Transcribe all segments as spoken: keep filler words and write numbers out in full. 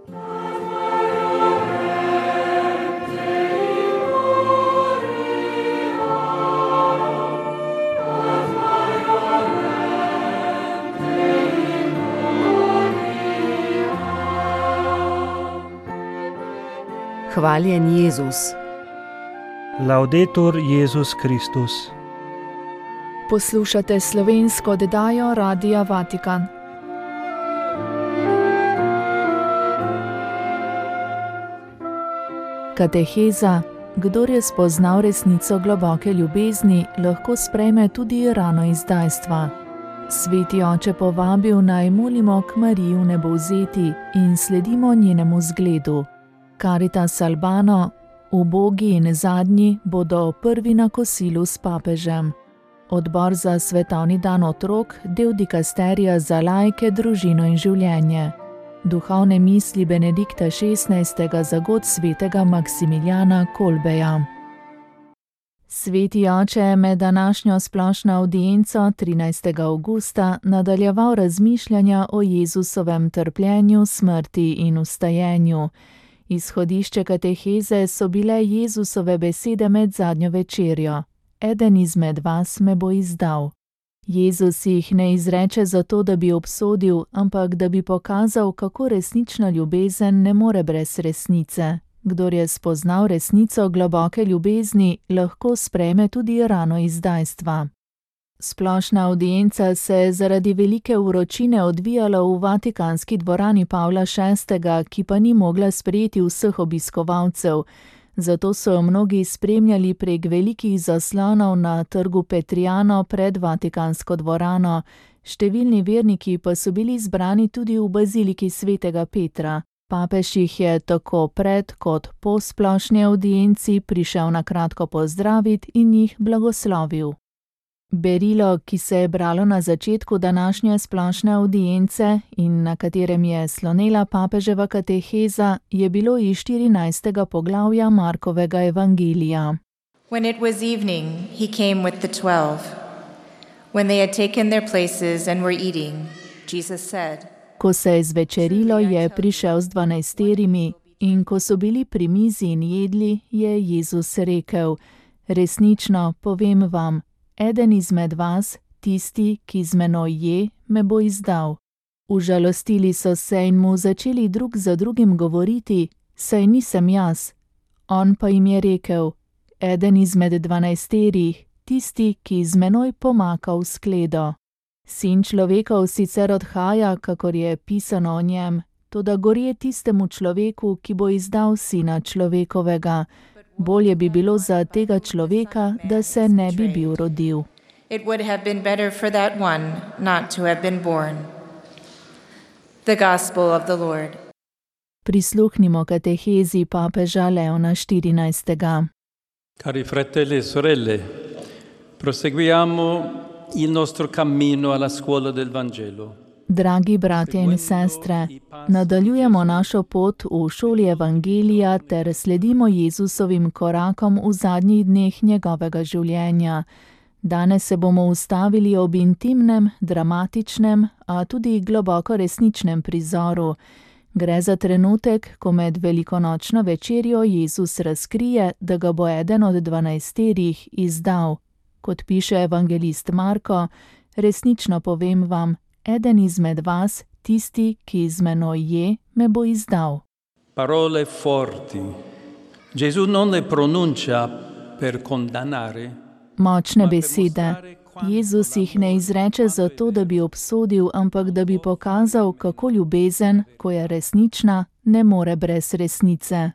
Hvaljen Jezus. Laudetur Jezus Kristus. Poslušate slovensko oddajo Radia Vatikan. Kateheza: kdor je spoznal resnico globoke ljubezni, lahko sprejme tudi rano izdajstva. Sveti oče povabil, naj molimo k Mariji vnebovzeti in sledimo njenemu zgledu. Caritas Albano, ubogi in zadnji, bodo prvi na kosilu s papežem. Odbor za svetovni dan otrok, del dikasterija za laike, družino in življenje. Duhovne misli Benedikta šestnajstega za god svetega Maksimiljana Kolbeja. Sveti oče je med današnjo splošno avdienco trinajstega avgusta nadaljeval razmišljanja o Jezusovem trpljenju, smrti in vstajenju. Izhodišče kateheze so bile Jezusove besede med zadnjo večerjo: Eden izmed vas me bo izdal. Jezus jih ne izreče zato, da bi obsodil, ampak da bi pokazal, kako resnična ljubezen ne more brez resnice. Kdor je spoznal resnico globoke ljubezni, lahko sprejme tudi rano izdajstva. Splošna avdienca se je zaradi velike vročine odvijala v Vatikanski dvorani Pavla šestega, ki pa ni mogla sprejeti vseh obiskovalcev. Zato so jo mnogi spremljali prek velikih zaslonov na trgu Petriano pred Vatikansko dvorano. Številni verniki pa so bili zbrani tudi v baziliki svetega Petra. Papež jih je tako pred kot po splošni avdienci prišel na kratko pozdraviti in jih blagoslovil. Berilo, ki se je bralo na začetku današnje splošne avdience in na katerem je slonela papeževa kateheza, je bilo iz štirinajstega poglavja Markovega evangelija. When it was evening, he came with the twelve. When they had taken their places and were eating, Jesus said, Ko se je zvečerilo, je prišel z dvanajsterimi in ko so bili pri mizi in jedli, je Jezus rekel: resnično povem vam, eden izmed vas, tisti, ki z menoj je, me bo izdal. Užalostili so se in mu začeli drug za drugim govoriti: saj nisem jaz. On pa jim je rekel: eden izmed dvanajsterih, tisti, ki z menoj pomaka v skledo. Sin človekov sicer odhaja, kakor je pisano o njem, toda gorje tistemu človeku, ki bo izdal sina človekovega. Bolje bi bilo za tega človeka, da se ne bi bil rodil. It would have been better for that one not to have been born. The Gospel of the Lord. Prisluhnimo katehezi papeža Leona štirinajstega. Cari fratelli e sorelle, proseguiamo il nostro cammino alla scuola del Vangelo. Dragi bratje in sestre, nadaljujemo našo pot v šoli Evangelija ter sledimo Jezusovim korakom v zadnjih dneh njegovega življenja. Danes se bomo ustavili ob intimnem, dramatičnem, a tudi globoko resničnem prizoru. Gre za trenutek, ko med velikonočno večerjo Jezus razkrije, da ga bo eden od dvanajsterih izdal. Kot piše evangelist Marko, resnično povem vam, eden izmed vas, tisti, ki z menoj je, me bo izdal. Parole forti. Gesù non le pronuncia per condannare. Močne besede. Jezus jih ne izreče zato, da bi obsodil, ampak da bi pokazal, kako ljubezen, ko je resnična, ne more brez resnice.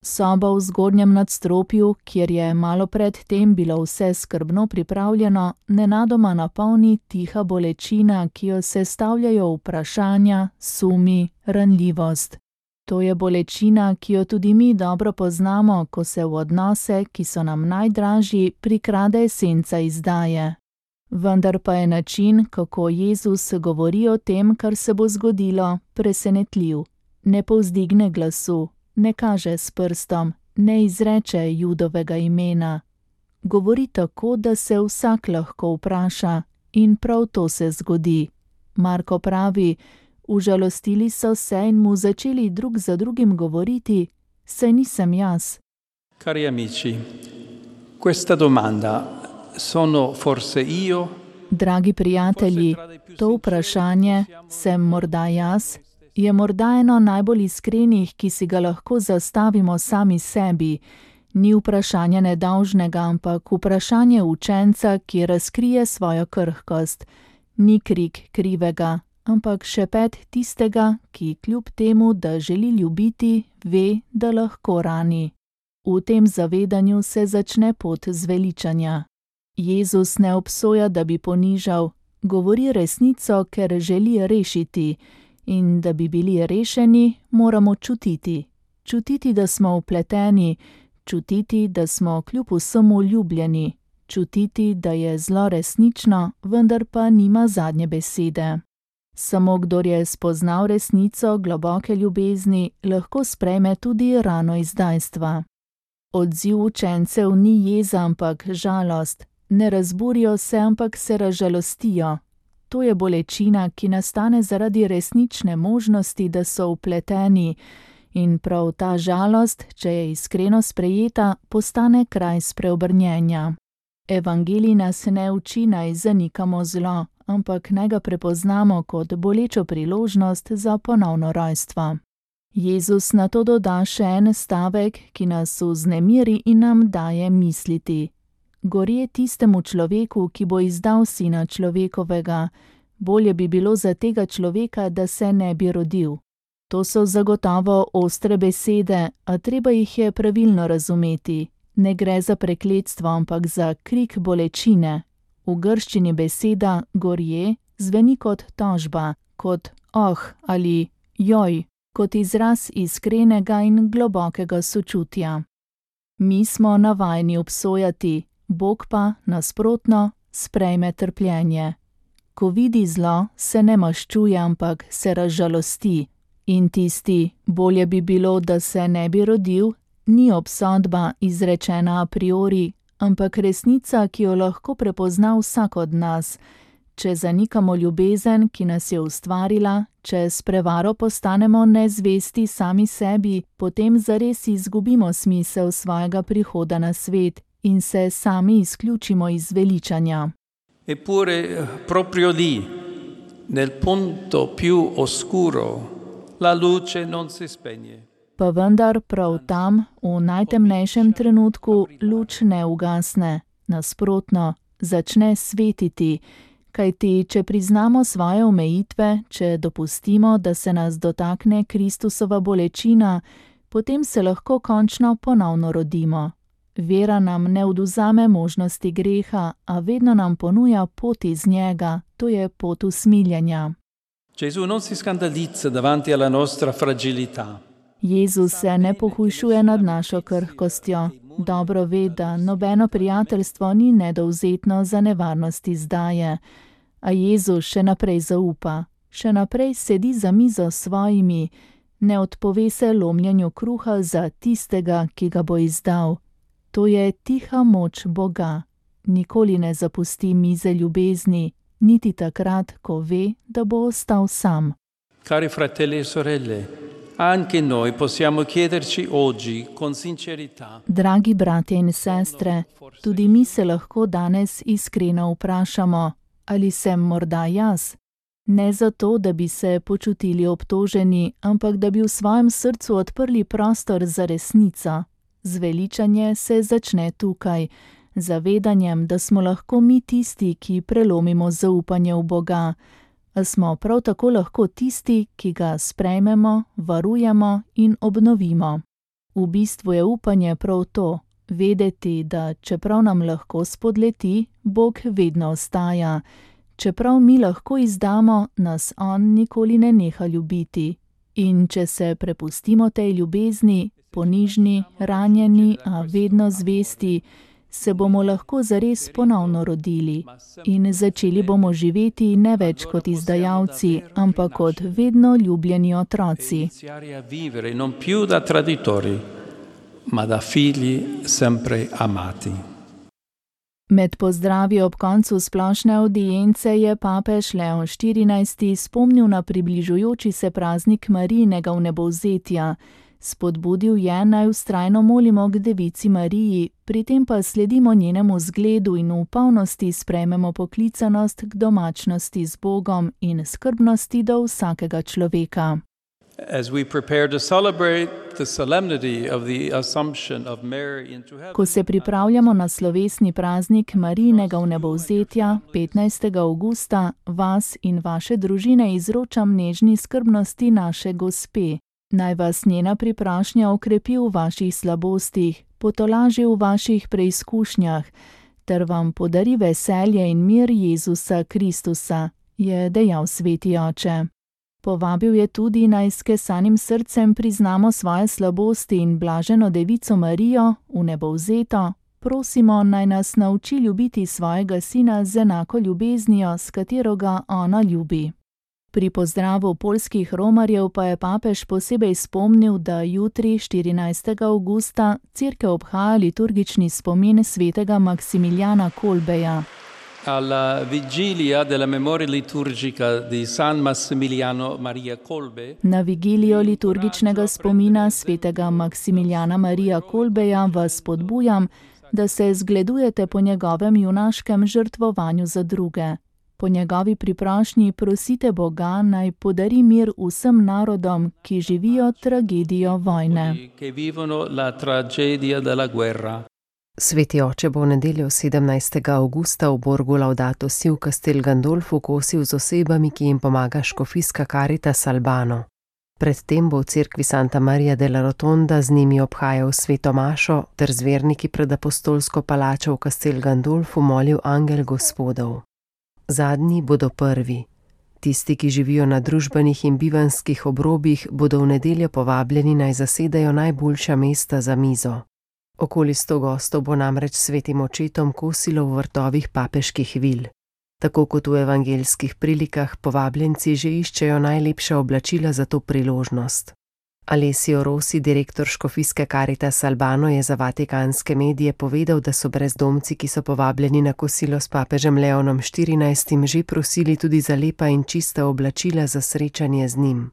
Soba v zgornjem nadstropju, kjer je malo pred tem bilo vse skrbno pripravljeno, nenadoma napolni tiha bolečina, ki jo sestavljajo vprašanja, sumi, ranljivost. To je bolečina, ki jo tudi mi dobro poznamo, ko se v odnose, ki so nam najdražji, prikrade esenca izdaje. Vendar pa je način, kako Jezus govori o tem, kar se bo zgodilo, presenetljiv. Ne povzdigne glasu, ne kaže s prstom, ne izreče Judovega imena. Govori tako, da se vsak lahko vpraša, in prav to se zgodi. Marko pravi: Užalostili so se in mu začeli drug za drugim govoriti: saj nisem jaz. Cari amici, questa domanda, sono forse io? Dragi prijatelji, to vprašanje, sem morda jaz, je morda eno najbolj iskrenih, ki si ga lahko zastavimo sami sebi. Ni vprašanje nedolžnega, ampak vprašanje učenca, ki razkrije svojo krhkost. Ni krik krivega, ampak šepet tistega, ki kljub temu, da želi ljubiti, ve, da lahko rani. V tem zavedanju se začne pot zveličanja. Jezus ne obsoja, da bi ponižal, govori resnico, ker želi rešiti. In da bi bili rešeni, moramo čutiti. Čutiti, da smo vpleteni, čutiti, da smo kljub vsemu ljubljeni, čutiti, da je zlo resnično, vendar pa nima zadnje besede. Samo kdor je spoznal resnico globoke ljubezni, lahko sprejme tudi rano izdajstva. Odziv učencev ni jeza, ampak žalost. Ne razburijo se, ampak se razžalostijo. To je bolečina, ki nastane zaradi resnične možnosti, da so vpleteni. In prav ta žalost, če je iskreno sprejeta, postane kraj spreobrnjenja. Evangelij nas ne uči, naj zanikamo zlo, ampak naj ga prepoznamo kot bolečo priložnost za ponovno rojstvo. Jezus nato doda še en stavek, ki nas vznemiri in nam daje misliti. Gorje tistemu človeku, ki bo izdal sina človekovega. Bolje bi bilo za tega človeka, da se ne bi rodil. To so zagotovo ostre besede, a treba jih je pravilno razumeti. Ne gre za prekletstvo, ampak za krik bolečine. V grščini beseda gorje zveni kot tožba, kot oh ali joj, kot izraz iskrenega in globokega sočutja. Mi smo navajeni obsojati, Bog pa, nasprotno, sprejme trpljenje. Ko vidi zlo, se ne maščuje, ampak se razžalosti. In tisti, bolje bi bilo, da se ne bi rodil, ni obsodba izrečena a priori, ampak resnica, ki jo lahko prepozna vsak od nas. Če zanikamo ljubezen, ki nas je ustvarila, če s prevaro postanemo nezvesti sami sebi, potem zares izgubimo smisel svojega prihoda na svet in se sami izključimo iz veličanja. Eppure proprio lì, nel punto più oscuro, la luce non si spegne. Pa vendar prav tam, v najtemnejšem trenutku, luč ne ugasne. Nasprotno, začne svetiti, kajti če priznamo svoje omejitve, če dopustimo, da se nas dotakne Kristusova bolečina, potem se lahko končno ponovno rodimo. Vera nam ne odvzame možnosti greha, a vedno nam ponuja pot iz njega, to je pot usmiljenja. Gesù non si scandalizza davanti alla nostra fragilità. Jezus se ne pohujšuje nad našo krhkostjo. Dobro ve, da nobeno prijateljstvo ni nedovzetno za nevarnosti zdaje. A Jezus še naprej zaupa, še naprej sedi za mizo s svojimi, ne odpove se lomljenju kruha za tistega, ki ga bo izdal. To je tiha moč Boga. Nikoli ne zapusti mize ljubezni, niti takrat, ko ve, da bo ostal sam. Cari fratelli e sorelle, anche noi possiamo chiederci oggi con sincerità. Dragi bratje in sestre, tudi mi se lahko danes iskreno vprašamo, ali sem morda jaz? Ne zato, da bi se počutili obtoženi, ampak da bi v svojem srcu odprli prostor za resnico. Zveličanje se začne tukaj, zavedanjem, da smo lahko mi tisti, ki prelomimo zaupanje v Boga, a smo prav tako lahko tisti, ki ga sprejmemo, varujemo in obnovimo. V bistvu je upanje prav to, vedeti, da čeprav nam lahko spodleti, Bog vedno ostaja. Čeprav mi lahko izdamo, nas On nikoli ne neha ljubiti. In če se prepustimo tej ljubezni, ponižni, ranjeni, a vedno zvesti, se bomo lahko zares ponovno rodili in začeli bomo živeti ne več kot izdajalci, ampak kot vedno ljubljeni otroci. Non più da traditori, ma da figli sempre amati. Med pozdravi ob koncu splošne avdience je papež Leon štirinajsti spomnil na približujoči se praznik Marijinega vnebovzetja. Spodbudil je, naj vztrajno molimo k Devici Mariji, pri tem pa sledimo njenemu zgledu in v polnosti sprejmemo poklicanost k domačnosti z Bogom in skrbnosti do vsakega človeka. As we prepare to celebrate the solemnity of the Assumption of Mary into heaven. Ko se pripravljamo na slovesni praznik Marijinega vnebovzetja, petnajstega avgusta, vas in vaše družine izročam nežni skrbnosti naše Gospe. Naj vas njena priprošnja okrepi v vaših slabostih, potolaži v vaših preizkušnjah, ter vam podari veselje in mir Jezusa Kristusa, je dejal sveti oče. Povabil je tudi, naj s kesanim srcem priznamo svoje slabosti in blaženo Devico Marijo, vnebovzeto, prosimo, naj nas nauči ljubiti svojega sina z enako ljubeznijo, s katero ga ona ljubi. Pri pozdravu poljskih romarjev pa je papež posebej spomnil, da jutri, štirinajstega avgusta, cerkev obhaja liturgični spomin svetega Maksimiljana Kolbeja. Alla vigilia della memoria liturgica di San Massimiliano Maria Kolbe. Na vigilijo liturgičnega spomina svetega Maksimiljana Marija Kolbeja vas spodbujam, da se zgledujete po njegovem junaškem žrtvovanju za druge. Po njegovi priprošnji prosite Boga, naj podari mir vsem narodom, ki živijo tragedijo vojne. Sveti oče bo v nedeljo sedemnajstega avgusta v Borgu Laudato Si v Castel Gandolfu kosil z osebami, ki jim pomaga škofijska Caritas Albano. Predtem bo v cerkvi Santa Maria della Rotonda z njimi obhajal sveto mašo ter z verniki pred apostolsko palačo v Castel Gandolfu molil angel Gospodov. Zadnji bodo prvi. Tisti, ki živijo na družbenih in bivanskih obrobjih, bodo v nedeljo povabljeni naj zasedajo najboljša mesta za mizo. Okoli sto gostov bo namreč svetim očetom kosilo v vrtovih papeških vil. Tako kot v evangeljskih prilikah, povabljenci že iščejo najlepša oblačila za to priložnost. Alessio Rossi, direktor škofijske Caritas Albano, je za vatikanske medije povedal, da so brezdomci, ki so povabljeni na kosilo s papežem Leonom štirinajstim, že prosili tudi za lepa in čista oblačila za srečanje z njim.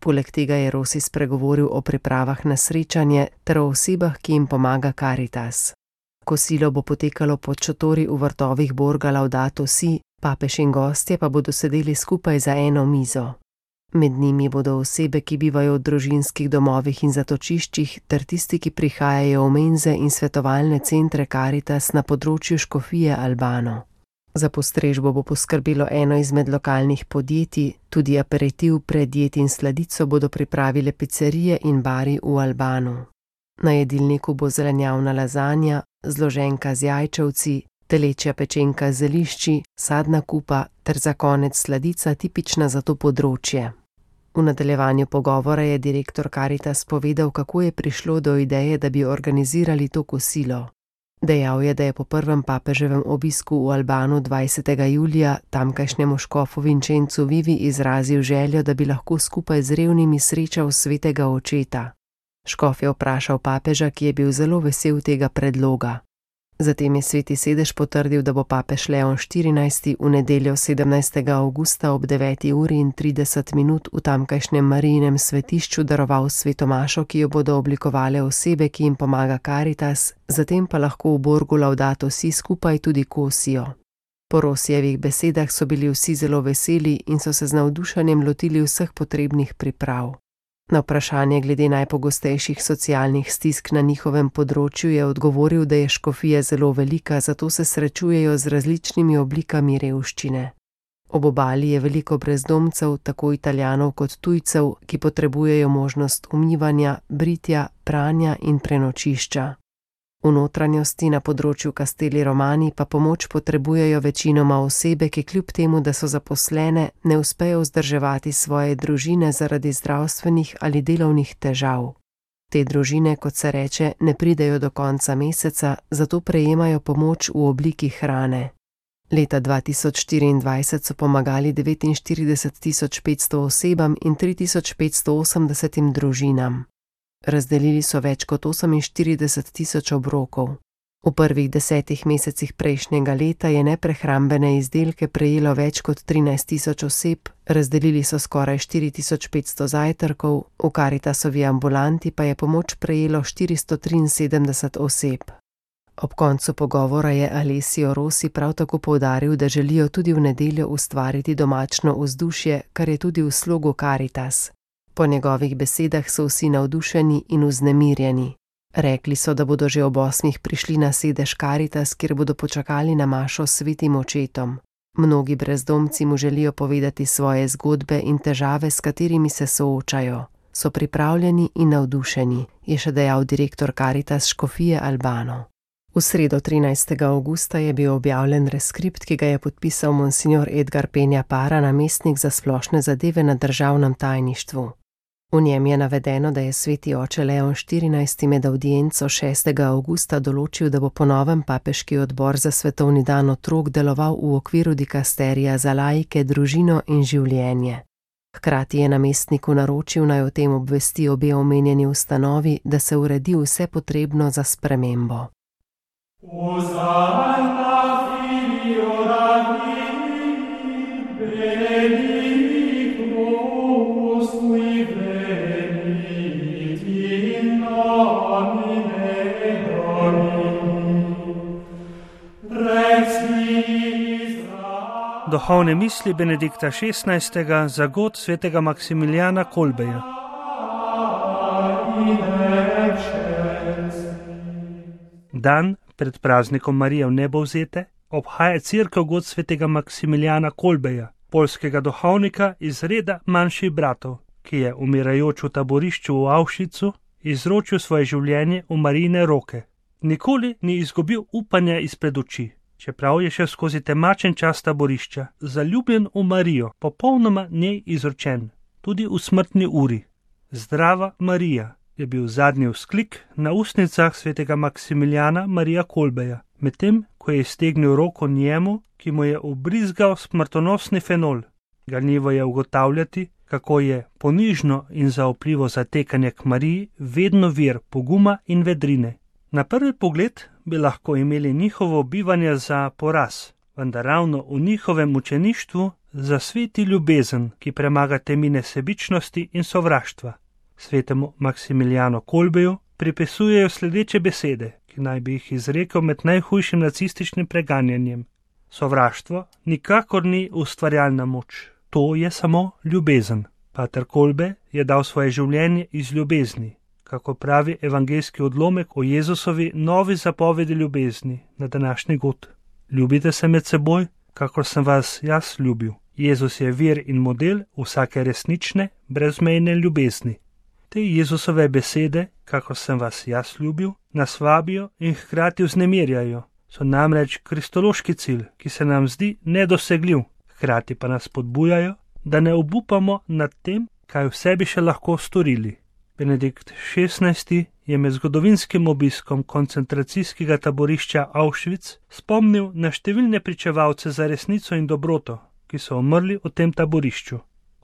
Poleg tega je Rossi spregovoril o pripravah na srečanje ter o osebah, ki jim pomaga Caritas. Kosilo bo potekalo pod šotori v vrtovih Borga Laudato Si, papež in gostje pa bodo sedeli skupaj za eno mizo. Med njimi bodo osebe, ki bivajo v družinskih domovih in zatočiščih, ter tisti, ki prihajajo v menze in svetovalne centre Caritas na področju škofije Albano. Za postrežbo bo poskrbelo eno izmed lokalnih podjetij, tudi aperitiv pred jed in sladico bodo pripravile pizzerije in bari v Albanu. Na jedilniku bo zelenjavna lazanja, zloženka z jajčevci, telečja pečenka z zelišči, sadna kupa ter za konec sladica tipična za to področje. V nadaljevanju pogovora je direktor Caritas povedal, kako je prišlo do ideje, da bi organizirali to kosilo. Dejal je, da je po prvem papeževem obisku v Albanu dvajsetega julija tamkajšnjemu škofu Vincenzu Vivi izrazil željo, da bi lahko skupaj z revnimi srečal svetega očeta. Škof je vprašal papeža, ki je bil zelo vesel tega predloga. Zatem je sveti sedež potrdil, da bo papež Leon štirinajsti v nedeljo sedemnajstega avgusta ob deveti uri in trideset minut v tamkajšnjem Marijinem svetišču daroval sveto mašo, ki jo bodo oblikovale osebe, ki jim pomaga Caritas, zatem pa lahko v Borgu Laudato Si skupaj tudi kosijo. Po Rossijevih besedah so bili vsi zelo veseli in so se z navdušanjem lotili vseh potrebnih priprav. Na vprašanje glede najpogostejših socialnih stisk na njihovem področju je odgovoril, da je škofija zelo velika, zato se srečujejo z različnimi oblikami revščine. Ob obali je veliko brezdomcev, tako Italijanov kot tujcev, ki potrebujejo možnost umivanja, britja, pranja in prenočišča. V notranjosti na področju Castelli Romani pa pomoč potrebujejo večinoma osebe, ki kljub temu, da so zaposlene, ne uspejo vzdrževati svoje družine zaradi zdravstvenih ali delovnih težav. Te družine, kot se reče, ne pridejo do konca meseca, zato prejemajo pomoč v obliki hrane. Leta dva tisoč štiriindvajset so pomagali devetinštirideset tisoč petsto osebam in tri tisoč petsto osemdesetim družinam. Razdelili so več kot oseminštirideset tisoč obrokov. V prvih desetih mesecih prejšnjega leta je neprehrambene izdelke prejelo več kot trinajst tisoč oseb, razdelili so skoraj štiri tisoč petsto zajtrkov, v Karitasovi ambulanti pa je pomoč prejelo štiristo triinsedemdeset oseb. Ob koncu pogovora je Alessio Rossi prav tako poudaril, da želijo tudi v nedeljo ustvariti domačno vzdušje, kar je tudi v slogu Karitas. Po njegovih besedah so vsi navdušeni in vznemirjeni. Rekli so, da bodo že ob osmih prišli na sedež Karitas, kjer bodo počakali na mašo s svetim očetom. Mnogi brezdomci mu želijo povedati svoje zgodbe in težave, s katerimi se soočajo. So pripravljeni in navdušeni, je še dejal direktor Karitas Škofije Albano. V sredo trinajstega avgusta je bil objavljen reskript, ki ga je podpisal monsignor Edgar Penja Para, namestnik za splošne zadeve na državnem tajništvu. V njem je navedeno, da je sveti oče Leon štirinajsti med avdienco šestega avgusta določil, da bo po novem papeški odbor za svetovni dan otrok deloval v okviru dikasterija za laike, družino in življenje. Hkrati je namestniku naročil, naj o tem obvesti obe omenjeni ustanovi, da se uredi vse potrebno za spremembo. Duhovne misli Benedikta šestnajstega za god svetega Maksimilijana Kolbeja. Dan pred praznikom Marije Vnebovzete obhaja cerkev god svetega Maksimilijana Kolbeja, poljskega duhovnika iz reda manjših bratov, ki je umirajoč v taborišču v Auschwitzu izročil svoje življenje v Marijine roke. Nikoli ni izgubil upanja izpred oči. Čeprav je še skozi temačen čas taborišča, zaljubljen v Marijo, popolnoma njej izročen, tudi v smrtni uri. Zdrava Marija je bil zadnji vzklik na ustnicah svetega Maksimilijana Marija Kolbeja, medtem ko je iztegnil roko njemu, ki mu je ubrizgal smrtonosni fenol. Ganljivo je ugotavljati, kako je ponižno in zaopljivo zatekanje k Mariji vedno vir poguma in vedrine. Na prvi pogled bi lahko imeli njihovo bivanje za poraz, vendar ravno v njihovem mučeništvu zasveti ljubezen, ki premaga temine sebičnosti in sovraštva. Svetemu Maksimilijanu Kolbeju pripisujejo sledeče besede, ki naj bi jih izrekel med najhujšim nacističnim preganjanjem. Sovraštvo nikakor ni ustvarjalna moč, to je samo ljubezen. Pater Kolbe je dal svoje življenje iz ljubezni, kako pravi evangeljski odlomek o Jezusovi novi zapovedi ljubezni na današnji god. Ljubite se med seboj, kakor sem vas jaz ljubil. Jezus je vir in model vsake resnične, brezmejne ljubezni. Te Jezusove besede, kakor sem vas jaz ljubil, nas vabijo in hkrati vznemirjajo. So namreč kristološki cilj, ki se nam zdi nedosegljiv, hkrati pa nas podbujajo, da ne obupamo nad tem, kaj vse bi še lahko storili. Benedikt šestnajsti je med zgodovinskim obiskom koncentracijskega taborišča Auschwitz spomnil na številne pričevalce za resnico in dobroto, ki so umrli v tem taborišču.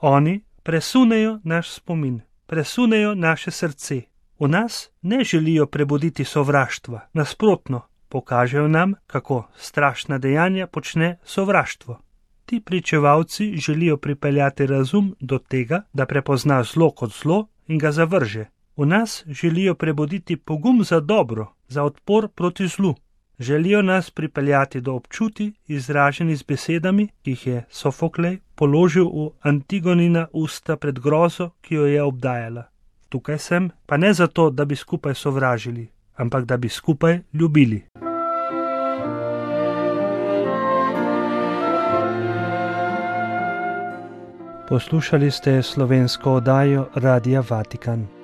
Oni presunejo naš spomin, presunejo naše srce. V nas ne želijo prebuditi sovraštva, nasprotno, pokažejo nam, kako strašna dejanja počne sovraštvo. Ti pričevalci želijo pripeljati razum do tega, da prepozna zlo kot zlo in ga zavrže. V nas želijo prebuditi pogum za dobro, za odpor proti zlu. Želijo nas pripeljati do občutij, izraženih z besedami, ki jih je Sofoklej položil v Antigonina usta pred grozo, ki jo je obdajala. Tukaj sem, pa ne zato, da bi skupaj sovražili, ampak da bi skupaj ljubili. Poslušali ste slovensko oddajo Radia Vatikan.